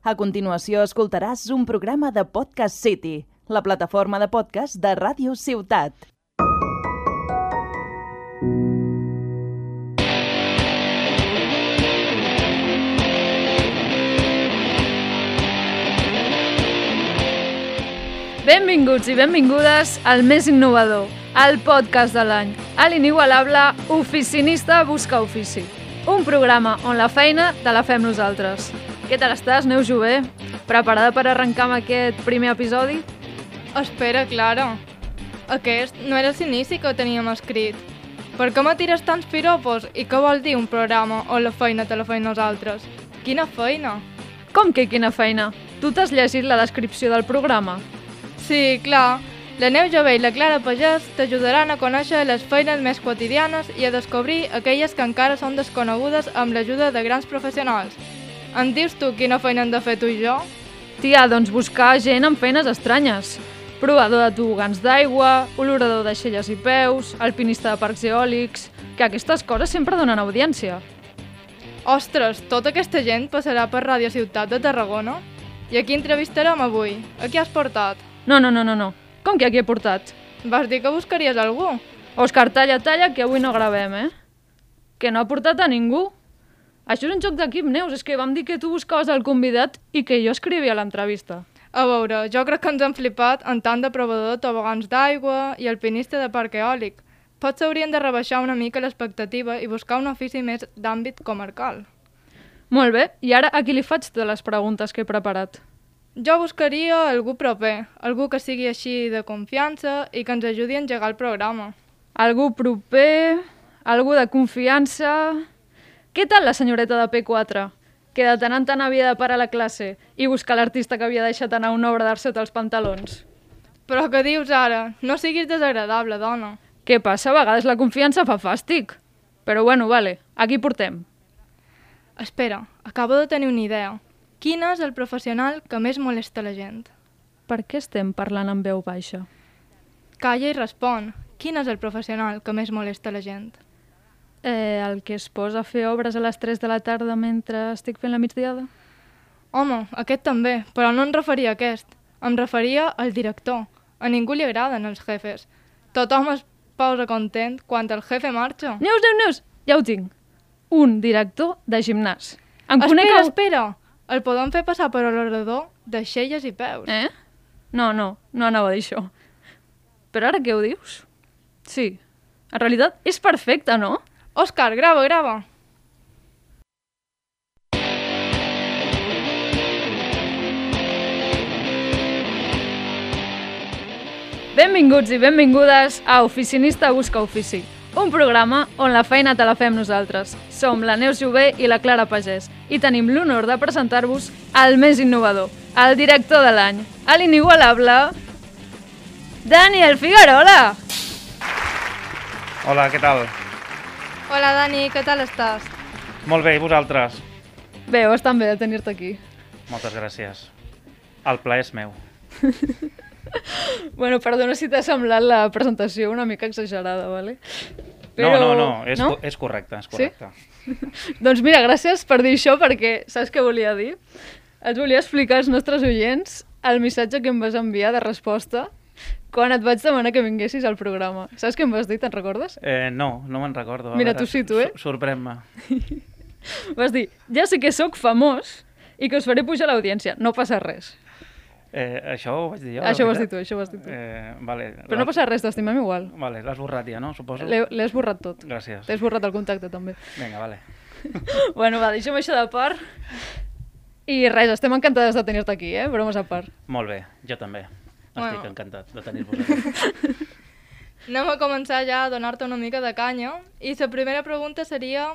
A continuació escoltaràs un programa de Podcast City, la plataforma de podcast de Ràdio Ciutat. Benvinguts i benvingudes al més innovador, al podcast de l'any, a l'inigualable Oficinista Busca Ofici. Un programa on la feina te la fem nosaltres. Què tal estàs, Neus Jové? Preparada per arrencar amb aquest primer episodi? Espera, Clara. Aquest no era l'inici que teníem escrit. Per què m'atires tants piropos i què vol dir un programa on la feina te la fem nosaltres? Quina feina? Com que quina feina? Tu t'has llegit la descripció del programa? Sí, clar. La Neus Jové i la Clara Pagès t'ajudaran a conèixer les feines més quotidianes i a descobrir aquelles que encara són desconegudes amb l'ajuda de grans professionals. Em dius tu quina feina hem de fer tu i jo? Tia, doncs buscar gent amb feines estranyes. Provador de tobogans d'aigua, olorador de xelles i peus, alpinista de parcs eòlics... Que aquestes coses sempre donen audiència. Ostres, tota aquesta gent passarà per Ràdio Ciutat de Tarragona? I a qui entrevistarem avui? A qui has portat? No. Com que aquí he portat? Vas dir que buscaries algú. Òscar, talla, que avui no gravem, Que no ha portat a ningú. Això és un joc d'equip, Neus, és que vam dir que tu buscaves el convidat i que jo escrivia l'entrevista. A veure, jo crec que ens hem flipat en tant de provador de tobogans d'aigua i alpinista de parc eòlic. Potser haurien de rebaixar una mica l'expectativa i buscar un ofici més d'àmbit comarcal. Molt bé, i ara a qui li faig totes les preguntes que he preparat? Jo buscaria algú proper, algú que sigui així de confiança i que ens ajudi a engegar el programa. Algú proper, algú de confiança... Què tal la senyoreta de P4? Que de tant en tant havia de parar la classe i buscar l'artista que havia deixat anar una obra d'art sota els pantalons. Però què dius ara? No siguis desagradable, dona. Què passa? A vegades la confiança fa fàstic. Però bueno, vale, aquí portem. Espera, acabo de tenir una idea. Quin és el professional que més molesta la gent? Per què estem parlant en veu baixa? Calla i respon. Quin és el professional que més molesta la gent? El que es posa a fer obres a les 3 de la tarda mentre estic fent la migdiada? Home, aquest també, però no em referia a aquest. Em referia al director. A ningú li agraden els jefes. Tothom es posa content quan el jefe marxa. Neus, ja ho tinc. Un director de gimnàs. Espera! El podem fer passar per l'orador de xelles i peus. No anava a dir això. Però ara què ho dius? Sí, en realitat és perfecte, no? Òscar, grava! Benvinguts i benvingudes a Oficinista Busca Ofici, un programa on la feina te la fem nosaltres. Som la Neus Jové i la Clara Pagès i tenim l'honor de presentar-vos el més innovador, el director de l'any, l'inigualable Daniel Figuerola. Hola, què tal? Hola, Dani, què tal estàs? Molt bé, i vosaltres? Bé, bastant bé de tenir-te aquí. Moltes gràcies. El plaer és meu. Bueno, perdona si t'ha semblat la presentació una mica exagerada, ¿vale? Però... No, és correcte, és correcte. Sí? Doncs mira, gràcies per dir això, perquè saps què volia dir? Et volia explicar als nostres oients el missatge que em vas enviar de resposta quan et vaig demanar que vinguessis al programa. Saps què em vas dir, te'n recordes? No me'n recordo. Mira, tu sí, tu, Sorprèn-me. Vas dir, ja sé que sóc famós i que us faré pujar l'audiència, no passa res. Això ho vaig dir jo? Això ho has dit tu. Vale, però no passa res, t'estimem igual. Vale, l'has borrat ja, no? Suposo. L'he esborrat tot. Gràcies. T'he esborrat el contacte, també. Vinga, vale. Bueno, va, deixem això de part. I res, estem encantades de tenir-te aquí, bromes a part. Molt bé, jo també. Estic encantat de tenir-vos aquí. Anem a començar ja a donar-te una mica de canya. I la primera pregunta seria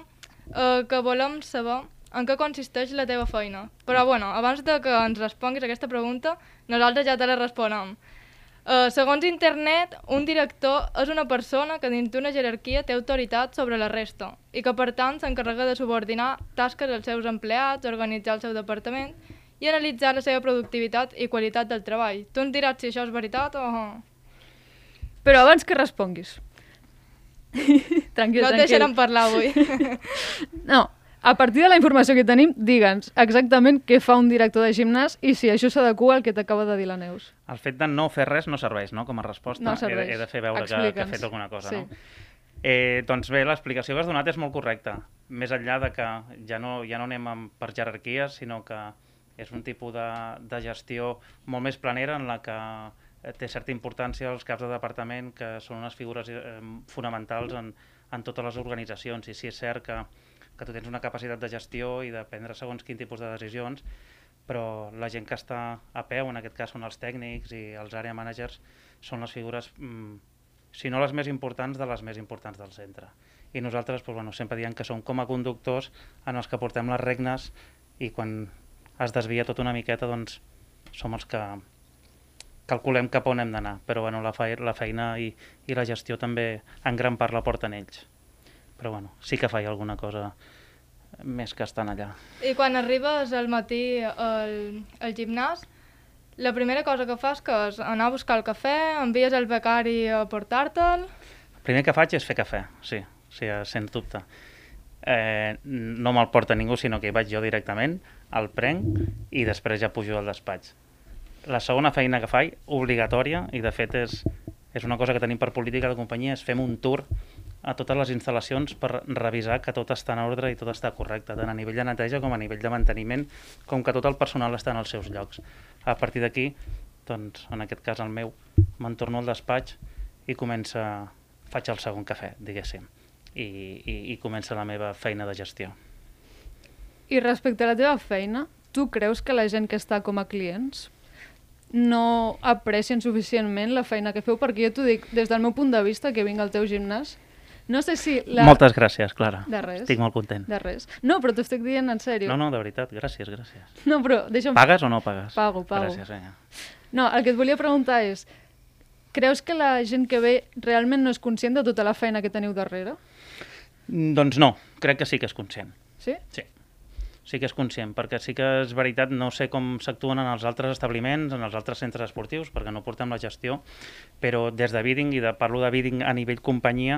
que volem saber en què consisteix la teva feina. Però, bueno, abans de que ens responguis aquesta pregunta, nosaltres ja te la responem. Segons internet, un director és una persona que dins d'una jerarquia té autoritat sobre la resta i que, per tant, s'encarrega de subordinar tasques als seus empleats, organitzar el seu departament i analitzar la seva productivitat i qualitat del treball. Tu ens diràs si això és veritat o... Però abans que responguis... Tranquil. No et deixarem parlar avui. No, A partir de la informació que tenim, digue'ns exactament què fa un director de gimnàs i si això s'adequa al que t'acaba de dir la Neus. El fet de no fer res no serveix, no?, com a resposta. No serveix. He de fer veure que he fet alguna cosa, sí. no? Doncs bé, l'explicació que has donat és molt correcta. Més enllà de que ja no anem per jerarquies, sinó que és un tipus de gestió molt més planera en la que té certa importància els caps de departament, que són unes figures fonamentals en totes les organitzacions. I sí és cert que tu tens una capacitat de gestió i de prendre segons quin tipus de decisions, però la gent que està a peu, en aquest cas són els tècnics i els area managers, són les figures, si no les més importants, de les més importants del centre. I nosaltres sempre diem que som com a conductors en els que portem les regnes i quan es desvia tot una miqueta doncs som els que calculem cap on hem d'anar. Però la feina i la gestió també en gran part la porten ells. Però sí que faig alguna cosa més que estan allà. I quan arribes al matí al gimnàs, la primera cosa que fas que és anar a buscar el cafè, envies el becari a portar-te'l... El primer que faig és fer cafè, sí, sens dubte. No me'l porta ningú, sinó que hi vaig jo directament, el prenc i després ja pujo al despatx. La segona feina que faig, obligatòria, i de fet és una cosa que tenim per política de companyia, és fem un tour a totes les instal·lacions per revisar que tot està en ordre i tot està correcte, tant a nivell de neteja com a nivell de manteniment, com que tot el personal està en els seus llocs. A partir d'aquí, doncs, en aquest cas el meu, me'n torno al despatx i faig el segon cafè, diguéssim, i comença la meva feina de gestió. I respecte a la teva feina, tu creus que la gent que està com a clients no aprecien suficientment la feina que feu? Perquè jo t'ho dic, des del meu punt de vista, que vinc al teu gimnàs, no sé si... Moltes gràcies, Clara. De res. Estic molt content. De res. No, però t'ho estic dient en sèrio. No, de veritat, gràcies. No, però deixa'm... Pagues o no pagues? Pago. Gràcies, vinga. No, el que et volia preguntar és, creus que la gent que ve realment no és conscient de tota la feina que teniu darrere? Doncs no, crec que sí que és conscient. Sí? Sí que és conscient, perquè sí que és veritat, no sé com s'actuen en els altres establiments, en els altres centres esportius, perquè no portem la gestió, però des de bidding, parlo de bidding a nivell companyia,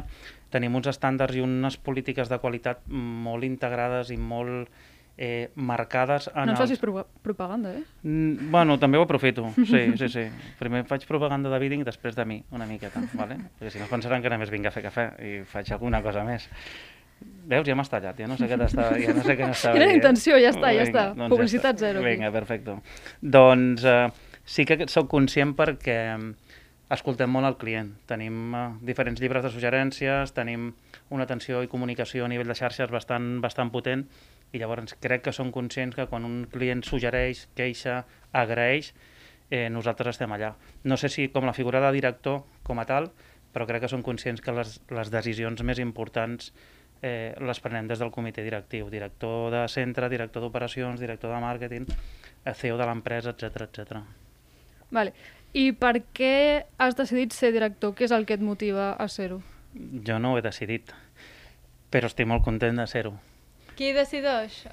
tenim uns estàndards i unes polítiques de qualitat molt integrades i molt marcades. No ens facis propaganda, eh? Bueno, també ho aprofito, sí. Primer faig propaganda de bidding, després de mi, una miqueta, ¿vale? Perquè si no pensaran que només vinc a fer cafè i faig alguna cosa més. Veus, ja m'has tallat, ja no sé què n'estava Era la intenció, ja està. Doncs Publicitat zero. Vinga, perfecte. Doncs sí que soc conscient perquè escoltem molt el client. Tenim diferents llibres de suggerències, tenim una atenció i comunicació a nivell de xarxes bastant potent i llavors crec que som conscients que quan un client suggereix, queixa, agraeix, nosaltres estem allà. No sé si com la figura de director com a tal, però crec que som conscients que les decisions més importants les prenem des del comitè directiu, director de centre, director d'operacions, director de màrqueting, CEO de l'empresa, etc. Vale. I per què has decidit ser director? Què és el que et motiva a ser-ho? Jo no ho he decidit, però estic molt content de ser-ho. Qui decideix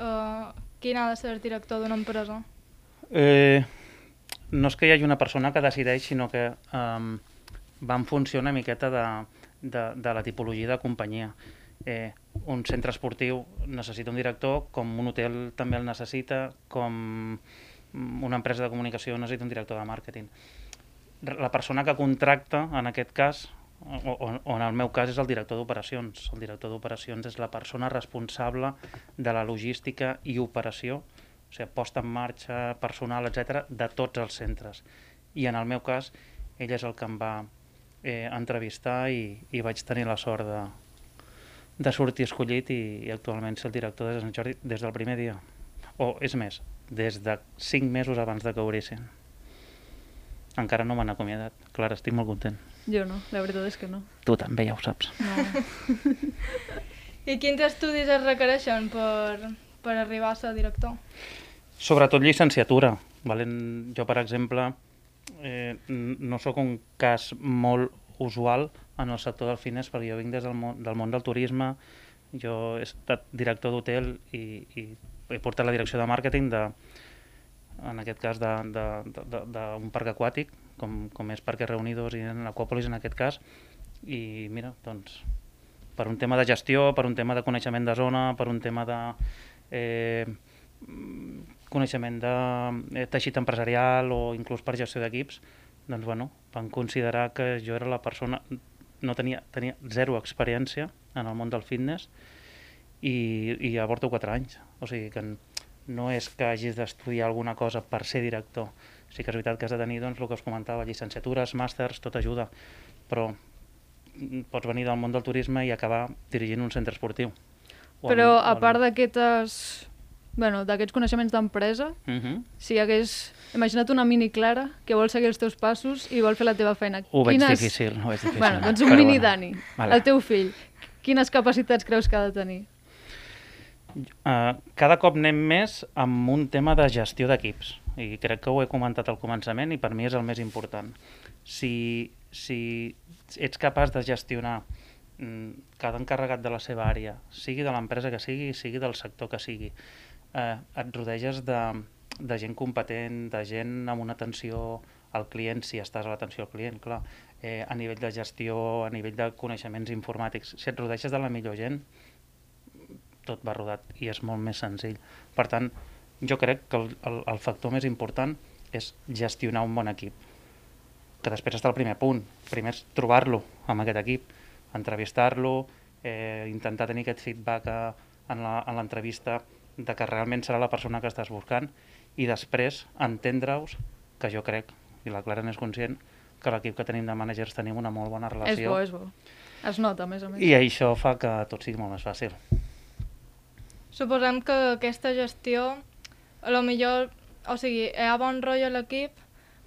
quin ha de ser el director d'una empresa? No és que hi hagi una persona que decideix, sinó que va en funció una miqueta de la tipologia de companyia. Un centre esportiu necessita un director, com un hotel també el necessita, com una empresa de comunicació necessita un director de màrqueting. La persona que contracta, en aquest cas, o en el meu cas, és el director d'operacions. El director d'operacions és la persona responsable de la logística i operació, o sigui, posta en marxa, personal, etc., de tots els centres. I en el meu cas, ell és el que em va entrevistar i vaig tenir la sort de sortir escollit i actualment ser el director de Sant Jordi des del primer dia. O, és més, des de 5 mesos abans de que obrissin. Encara no m'han acomiadat. Clara, estic molt content. Jo no, la veritat és que no. Tu també ja ho saps. No. I quins estudis es requereixen per arribar a ser director? Sobretot llicenciatura. Jo, per exemple, no sóc un cas molt usual en el sector del fitness, perquè jo vinc des del món del turisme, jo he estat director d'hotel i he portat la direcció de màrqueting en aquest cas d'un parc aquàtic, com és Parque Reunidos i en l'Aquàpolis en aquest cas, i mira, doncs per un tema de gestió, per un tema de coneixement de zona, per un tema de coneixement de teixit empresarial o inclús per gestió d'equips, doncs bueno, van considerar que jo era la persona, tenia zero experiència en el món del fitness i ja porto 4 anys. O sigui que no és que hagis d'estudiar alguna cosa per ser director. Sí que és veritat que has de tenir, doncs, el que us comentava, llicenciatures, màsters, tot ajuda, però pots venir del món del turisme i acabar dirigint un centre esportiu. Però a part d'aquests coneixements d'empresa, si hi hagués, imagina't una mini Clara que vol seguir els teus passos i vol fer la teva feina. Ho veig difícil. Bueno, doncs un mini Dani, el teu fill, quines capacitats creus que ha de tenir? Cada cop anem més amb un tema de gestió d'equips i crec que ho he comentat al començament i per mi és el més important. Si ets capaç de gestionar cada encarregat de la seva àrea, sigui de l'empresa que sigui del sector que sigui, et rodeges de gent competent, de gent amb una atenció al client, si estàs a l'atenció al client, clar, a nivell de gestió, a nivell de coneixements informàtics, si et rodeges de la millor gent, tot va rodat i és molt més senzill. Per tant, jo crec que el factor més important és gestionar un bon equip, que després està el primer punt. Primer és trobar-lo amb aquest equip, entrevistar-lo, intentar tenir aquest feedback en l'entrevista de que realment serà la persona que estàs buscant i després entendre-us, que jo crec, i la Clara n'és conscient, que l'equip que tenim de managers tenim una molt bona relació. És bo. Es nota, a més a més. I això fa que tot sigui molt més fàcil. Suposem que aquesta gestió, a lo millor, o sigui, hi ha bon rotllo a l'equip,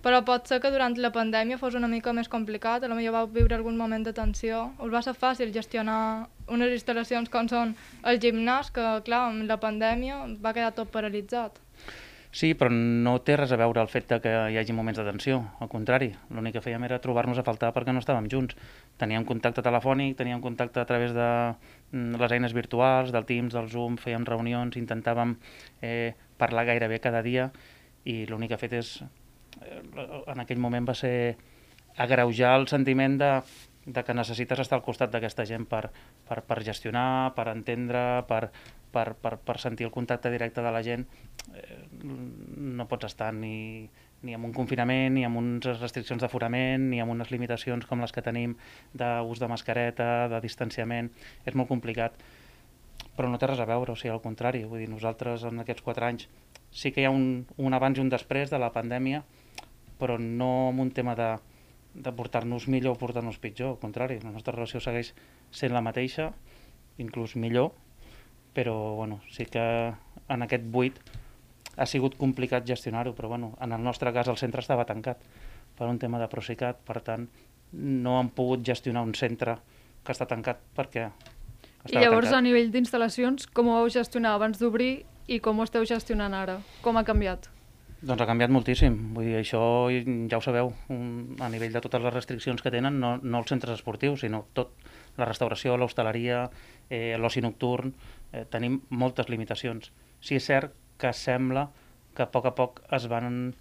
però pot ser que durant la pandèmia fos una mica més complicat, a lo millor vau viure algun moment de tensió. Us va ser fàcil gestionar unes instal·lacions com són el gimnàs, que clar, amb la pandèmia va quedar tot paralitzat. Sí, però no té res a veure el fet que hi hagi moments de tensió, al contrari. L'únic que fèiem era trobar-nos a faltar perquè no estàvem junts. Teníem contacte telefònic, teníem contacte a través de les eines virtuals, del Teams, del Zoom, fèiem reunions, intentàvem parlar gairebé cada dia i l'únic que ha fet és, en aquell moment va ser agreujar el sentiment de que necessites estar al costat d'aquesta gent per gestionar, per entendre, per sentir el contacte directe de la gent. No pots estar ni amb un confinament, ni amb unes restriccions d'aforament, ni amb unes limitacions com les que tenim d'ús de mascareta, de distanciament. És molt complicat, però no té res a veure, o sigui, al contrari. Vull dir, nosaltres en aquests 4 anys sí que hi ha un abans i un després de la pandèmia, però no amb un tema de portar-nos millor o portar-nos pitjor, al contrari. La nostra relació segueix sent la mateixa, inclús millor, però bueno, sí que en aquest buit ha sigut complicat gestionar-ho, però bueno, en el nostre cas el centre estava tancat per un tema de Procicat, per tant no han pogut gestionar un centre que està tancat perquè estava tancat. I llavors a nivell d'instal·lacions, com ho vau gestionar abans d'obrir i com ho esteu gestionant ara? Com ha canviat? Doncs ha canviat moltíssim, vull dir, això ja ho sabeu, a nivell de totes les restriccions que tenen, no els centres esportius, sinó tot, la restauració, l'hostaleria, l'oci nocturn, tenim moltes limitacions. Sí, és cert que sembla que a poc es van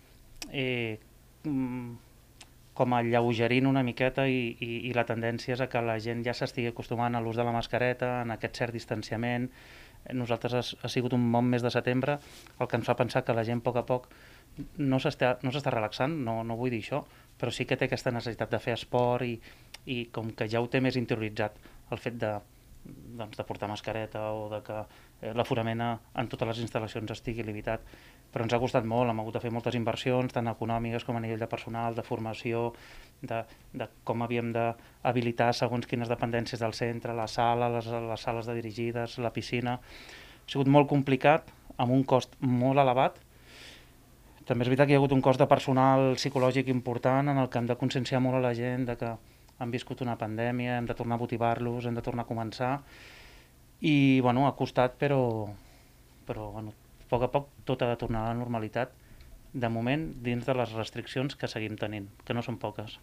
com alleugerint una miqueta i la tendència és a que la gent ja s'estigui acostumant a l'ús de la mascareta, en aquest cert distanciament. Nosaltres ha sigut un bon mes de setembre, el que ens fa pensar que la gent a poc no s'està relaxant, no vull dir això, però sí que té aquesta necessitat de fer esport i com que ja ho té més interioritzat el fet de portar mascareta o de que l'aforament en totes les instal·lacions estigui limitat. Però ens ha costat molt, hem hagut de fer moltes inversions, tant econòmiques com a nivell de personal, de formació, de com havíem d'habilitar segons quines dependències del centre, la sala, les sales de dirigides, la piscina. Ha sigut molt complicat, amb un cost molt elevat. També és veritat que hi ha hagut un cost de personal psicològic important en el que hem de conscienciar molt a la gent de que han viscut una pandèmia, hem de tornar a motivar-los, hem de tornar a començar. I bueno, ha costat, però bueno, a poc tot ha de tornar a la normalitat, de moment dins de les restriccions que seguim tenint, que no són poques.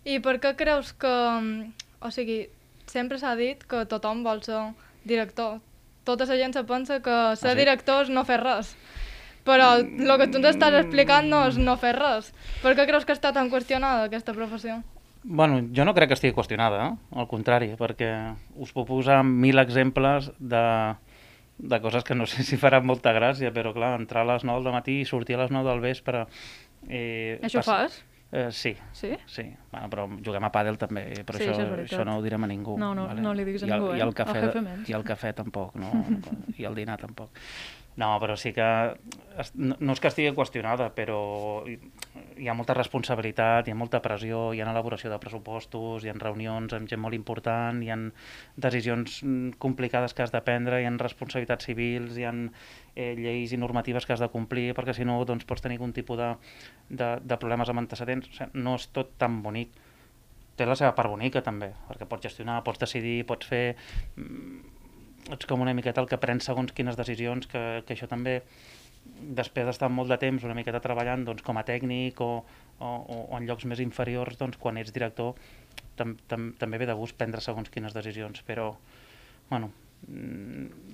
I per què creus que... O sigui, sempre s'ha dit que tothom vol ser director. Tota la gent se pensa que ser director és no fer res. Però el que tu ens estàs explicant no és no fer res. Per què creus que està tan qüestionada aquesta professió? Bueno, jo no crec que estigui qüestionada, al contrari, perquè us puc posar 1000 exemples de coses que no sé si faran molta gràcia, però clar, entrar a les 9 del matí i sortir a les 9 del vespre... Això fas? Sí. Sí? Sí, bueno, però juguem a pàdel també, però Sí, això això és veritat. no ho direm a ningú. No, no li diguis a ningú, I el Al jefe menys. I el cafè tampoc, i el dinar tampoc. No, però sí que no és que estigui qüestionada, però hi ha molta responsabilitat, hi ha molta pressió, hi ha elaboració de pressupostos, hi ha reunions amb gent molt important, hi ha decisions complicades que has de prendre, hi ha responsabilitats civils, hi ha lleis i normatives que has de complir, perquè si no doncs, pots tenir algun tipus de problemes amb antecedents. O sigui, no és tot tan bonic. Té la seva part bonica també, perquè pots gestionar, pots decidir, pots fer... Ets com una miqueta el que prens segons quines decisions, que això també, després d'estar molt de temps una miqueta treballant doncs, com a tècnic o en llocs més inferiors, doncs, quan ets director també ve de gust prendre segons quines decisions, però bueno,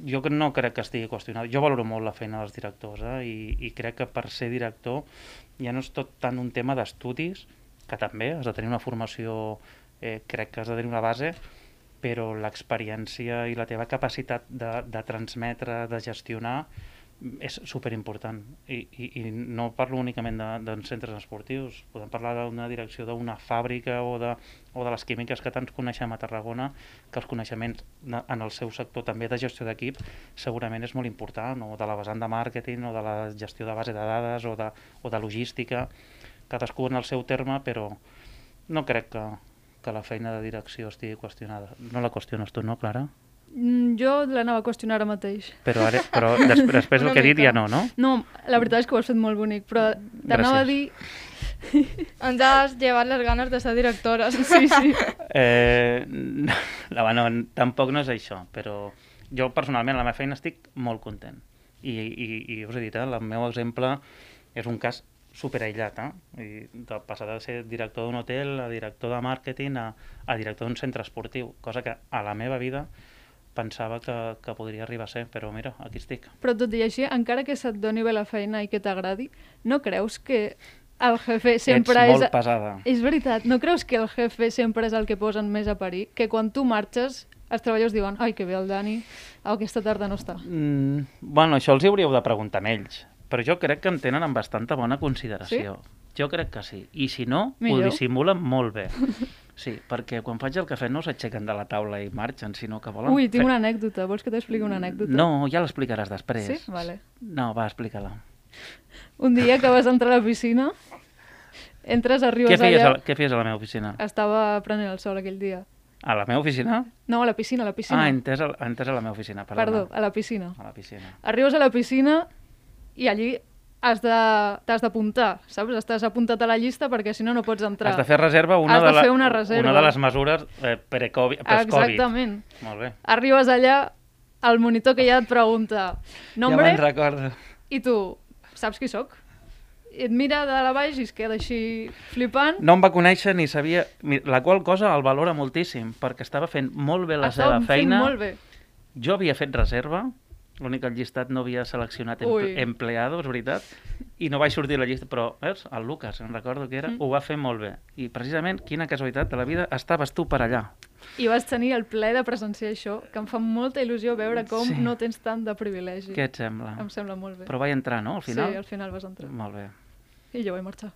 jo no crec que estigui qüestionat. Jo valoro molt la feina dels directors i crec que per ser director ja no és tot tant un tema d'estudis, que també has de tenir una formació, crec que has de tenir una base, però l'experiència i la teva capacitat de transmetre, de gestionar, és superimportant. I no parlo únicament de centres esportius, podem parlar d'una direcció d'una fàbrica o de les químiques que tant coneixem a Tarragona, que els coneixements en el seu sector també de gestió d'equip segurament és molt important, o de la vessant de màrqueting, o de la gestió de base de dades, o de logística, cadascú en el seu terme, però no crec que la feina de direcció estigui qüestionada. No la qüestiones tu, no, Clara? Jo l'anava a qüestionar ara mateix. Però després del que he dit ja no? No, la veritat és que ho has fet molt bonic, però t'anava a dir... Ens has llevat les ganes de ser directores. Sí. No, tampoc no és això, però jo personalment a la meva feina estic molt content. I us he dit, el meu exemple és un cas superaïllat, I de passar de ser director d'un hotel a director de màrqueting a director d'un centre esportiu, cosa que a la meva vida pensava que podria arribar a ser, però mira, aquí estic. Però tot i així, encara que se't doni bé la feina i que t'agradi, no creus que el jefe sempre Ets molt pesada. És veritat, no creus que el jefe sempre és el que posen més a parir? Que quan tu marxes, els treballadors diuen ai, que bé el Dani, aquesta tarda no està. Bueno, això els hauríeu de preguntar a ells, però jo crec que em tenen amb bastanta bona consideració. Sí? Jo crec que sí. I si no, millor. Ho dissimulen molt bé. Sí, perquè quan faig el cafè no s'aixequen de la taula i marxen, sinó que volen... Ui, tinc una anècdota. Vols que t'expliqui una anècdota? No, ja l'explicaràs després. Sí? Vale. No, va, explica-la. Un dia que vas entrar a la piscina, entres, arribes allà... Què feies a la meva oficina? Estava prenent el sol aquell dia. A la meva oficina? No, a la piscina, a la piscina. Ah, entès a la meva oficina, perdona. Perdó, a la piscina. A la piscina. Arribes a la piscina i allí t'has d'apuntar, saps? Estàs apuntat a la llista perquè si no, no pots entrar. Has de fer reserva, una de les mesures post-Covid. Exactament. Molt bé. Arribes allà, el monitor que ja et pregunta nombre, ja me'n recordo. I tu saps qui sóc? I et mira de la baix i es queda així flipant. No em va conèixer ni sabia... La qual cosa el valora moltíssim, perquè estava fent molt bé la seva feina. Estava fent molt bé. Jo havia fet reserva, l'únic que el llistat no havia seleccionat empleado, és veritat, i no vaig sortir a la llista, però veus, el Lucas, em recordo que era, ho va fer molt bé. I precisament, quina casualitat de la vida, estaves tu per allà. I vas tenir el plaer de presenciar això, que em fa molta il·lusió veure com no tens tant de privilegi. Què et sembla? Em sembla molt bé. Però vaig entrar, no, al final? Sí, al final vas entrar. Molt bé. I jo vaig marxar.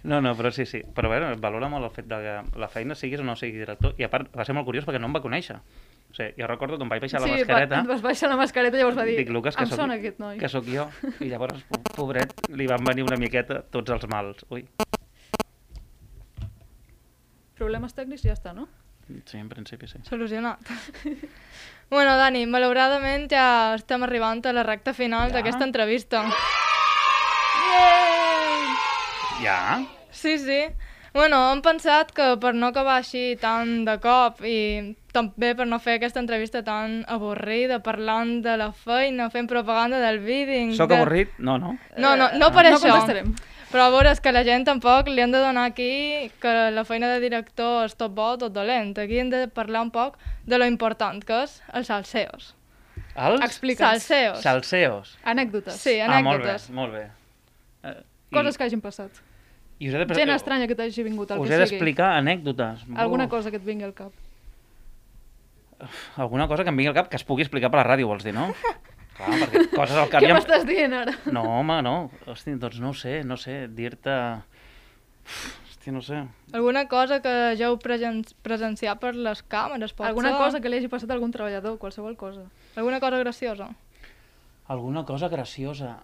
No, però sí. Però bé, valora molt el fet de que la feina siguis o no siguis director. I a part, va ser molt curiós perquè no em va conèixer. O sigui, jo recordo que em vaig baixar la mascareta... Sí, vas baixar la mascareta i llavors va dir, dic, Lucas, em sona aquest noi. Que sóc jo. I llavors, pobret, li van venir una miqueta tots els mals. Ui. Problemes tècnics i ja està, no? Sí, en principi sí. Solucionat. Bueno, Dani, malauradament ja estem arribant a la recta final d'aquesta entrevista. Ja? Sí. Bueno, hem pensat que per no acabar així tan de cop i també per no fer aquesta entrevista tan avorrida, parlant de la feina, fent propaganda del bidding... Soc avorrit? No. No per això. No contestarem. Però a veure, és que la gent tampoc li han de donar aquí que la feina de director és tot bo o tot dolent. Aquí hem de parlar un poc de lo important que és els salseos. Els? Explica'ns. Salseos. Anècdotes. Sí, anècdotes. Molt bé. Coses que hagin passat. I us he Gent estranya que t'hagi vingut, el us que he sigui. d'explicar anècdotes. Alguna cosa que et vingui al cap. Alguna cosa que em vingui al cap que es pugui explicar per la ràdio, vols dir, no? Clar, perquè coses al cap... Què m'estàs dient ara? No, home, no. Hosti, doncs no ho sé, dir-te... Hosti, no sé. Alguna cosa que ja heu presenciat per les càmeres, pot Alguna ser? cosa que li hagi passat a algun treballador, qualsevol cosa. Alguna cosa graciosa? Alguna cosa graciosa.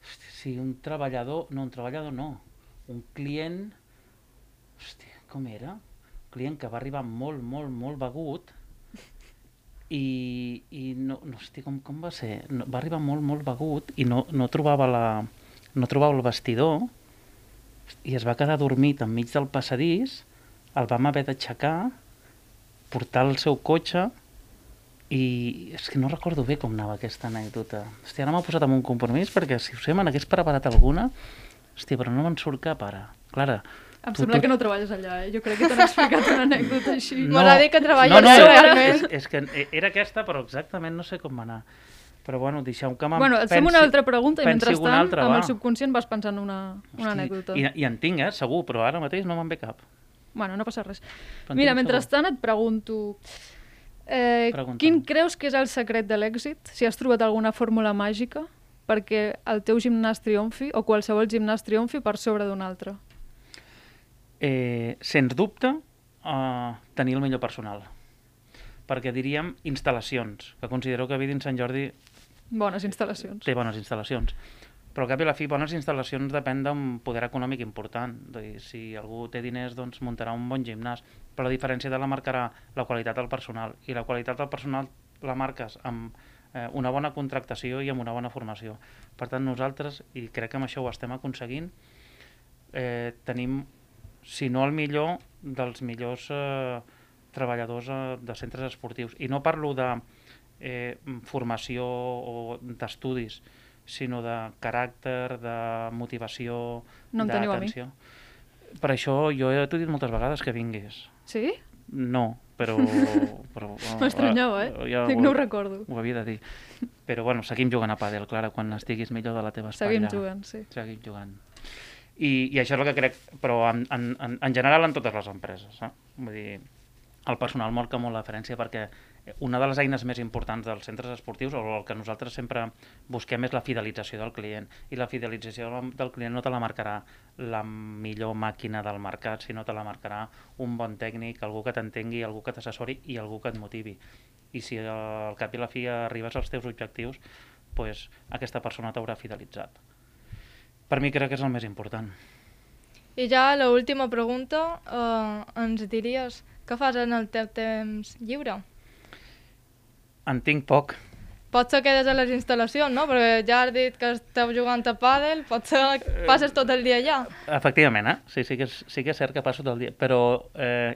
Hosti, sí, un treballador no. Un client... Hòstia, com era? Un client que va arribar molt begut i no hosti, com va ser? No, va arribar molt begut i no trobava el vestidor i es va quedar dormit enmig del passadís, el vam haver d'aixecar, portar el seu cotxe i és que no recordo bé com anava aquesta anècdota. Hòstia, ara m'ha posat en un compromís perquè si us sé, me n'hagués preparat alguna, hòstia, però no me'n surt cap ara. Clara, Em sembla que no treballes allà, Jo crec que t'han explicat una anècdota així. M'agrada dir que treballes realment. És que era aquesta, però exactament no sé com va anar. Però bueno, deixeu que Et fem una altra pregunta i mentrestant amb el va. subconscient vas pensant una anècdota. I en tinc, segur, però ara mateix no me'n ve cap. Bueno, no passa res. Però en Mira, tinc mentrestant et pregunto... Pregunta'm. Quin creus que és el secret de l'èxit? Si has trobat alguna fórmula màgica perquè el teu gimnàs triomfi o qualsevol gimnàs triomfi per sobre d'un altre? Sens dubte, tenir el millor personal. Perquè diríem instal·lacions, que considero que Vidin Sant Jordi Bones instal·lacions. té bones instal·lacions. Però al cap i a la fi, bones instal·lacions depèn d'un poder econòmic important. Si algú té diners, doncs muntarà un bon gimnàs. Però la diferència la marcarà la qualitat del personal. I la qualitat del personal la marques amb una bona contractació i amb una bona formació. Per tant, nosaltres, i crec que amb això ho estem aconseguint, tenim, si no el millor, dels millors treballadors de centres esportius. I no parlo de formació o d'estudis, sinó de caràcter, de motivació, d'atenció. Per això jo t'ho he dit moltes vegades que vinguis. Sí? No, però M'estranyava, Dic, no ho recordo. Ho havia de dir. Però bueno, seguim jugant a pàdel, Clara, quan estiguis millor de la teva espatlla. Seguim jugant, sí. Seguim jugant. I això és el que crec, però en general en totes les empreses. Vull dir, el personal marca molt la diferència perquè una de les eines més importants dels centres esportius, o el que nosaltres sempre busquem, és la fidelització del client. I la fidelització del client no te la marcarà la millor màquina del mercat, sinó te la marcarà un bon tècnic, algú que t'entengui, algú que t'assessori i algú que et motivi. I si al cap i la fi arribes als teus objectius, doncs aquesta persona t'haurà fidelitzat. Per mi crec que és el més important. I ja l'última pregunta, ens diries què fas en el teu temps lliure? En tinc poc. Potser quedes a les instal·lacions, no? Perquè ja has dit que esteu jugant a pàdel, potser passes tot el dia allà. Efectivament, sí que és cert que passo tot el dia, però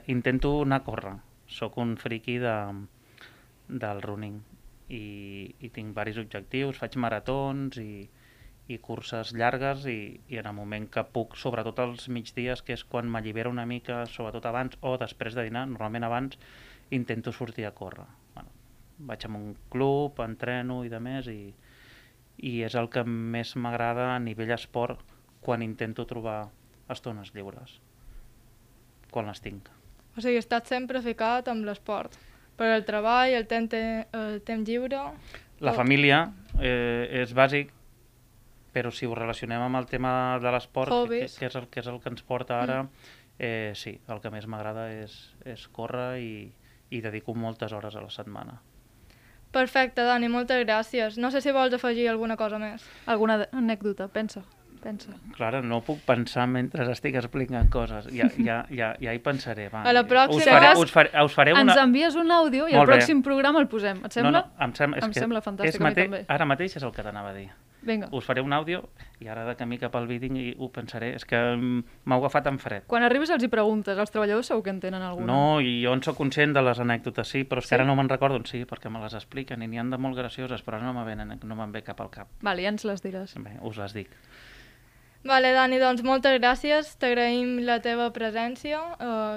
intento anar a córrer. Soc un friqui del running i tinc diversos objectius, faig maratons i curses llargues i en el moment que puc, sobretot als migdies, que és quan m'allibero una mica, sobretot abans o després de dinar, normalment abans, intento sortir a córrer. Bueno, vaig a un club, entreno i demés i és el que més m'agrada a nivell esport quan intento trobar estones lliures, quan les tinc. O sigui, estàs sempre ficat amb l'esport. Per el treball, el temps lliure... La família és bàsic, però si ho relacionem amb el tema de l'esport, que és el que ens porta ara, sí, el que més m'agrada és córrer i dedico moltes hores a la setmana. Perfecte, Dani, moltes gràcies. No sé si vols afegir alguna cosa més. Alguna anècdota, pensa. Clara, no puc pensar mentre estic explicant coses. Ja hi pensaré. Va. A la pròxima... Us faré una... Ens envies un àudio i al pròxim programa el posem. Et sembla? No, em sembla fantàstic, a mi també. Ara mateix és el que t'anava a dir. Vinga. Us faré un àudio i ara de camí cap al vídeo i ho pensaré. És que m'ha agafat en fred. Quan arribis els hi preguntes, els treballadors segur que en tenen alguna. No, i jo en soc conscient de les anècdotes, sí, però és que ara no me'n recordo, sí, perquè me les expliquen i n'hi han de molt gracioses, però no me'n ve cap al cap. Vale, ja ens les diràs. Bé, us les dic. Vale, Dani, doncs moltes gràcies, t'agraïm la teva presència,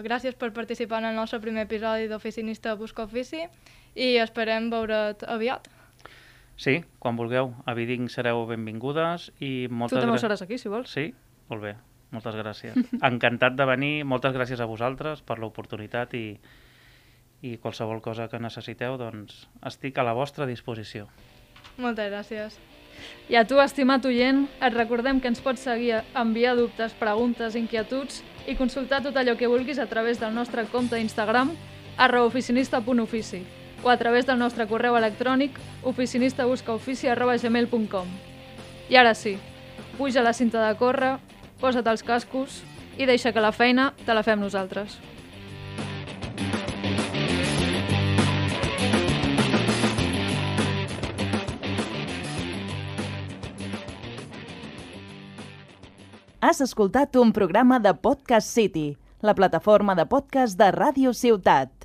gràcies per participar en el nostre primer episodi d'Oficinista Busca Ofici i esperem veure't aviat. Sí, quan vulgueu, a Viding sereu benvingudes i moltes... Tu també ho seràs aquí, si vols. Sí, Molt bé, moltes gràcies. Encantat de venir, moltes gràcies a vosaltres per l'oportunitat i qualsevol cosa que necessiteu, doncs estic a la vostra disposició. Moltes gràcies. I a tu, estimat oient, et recordem que ens pots seguir, enviar dubtes, preguntes, inquietuds i consultar tot allò que vulguis a través del nostre compte d'Instagram @oficinista.ofici o a través del nostre correu electrònic oficinista@gmail.com. I ara sí, puja la cinta de córrer, posa't els cascos i deixa que la feina te la fem nosaltres. Has escoltat un programa de Podcast City, la plataforma de podcast de Ràdio Ciutat.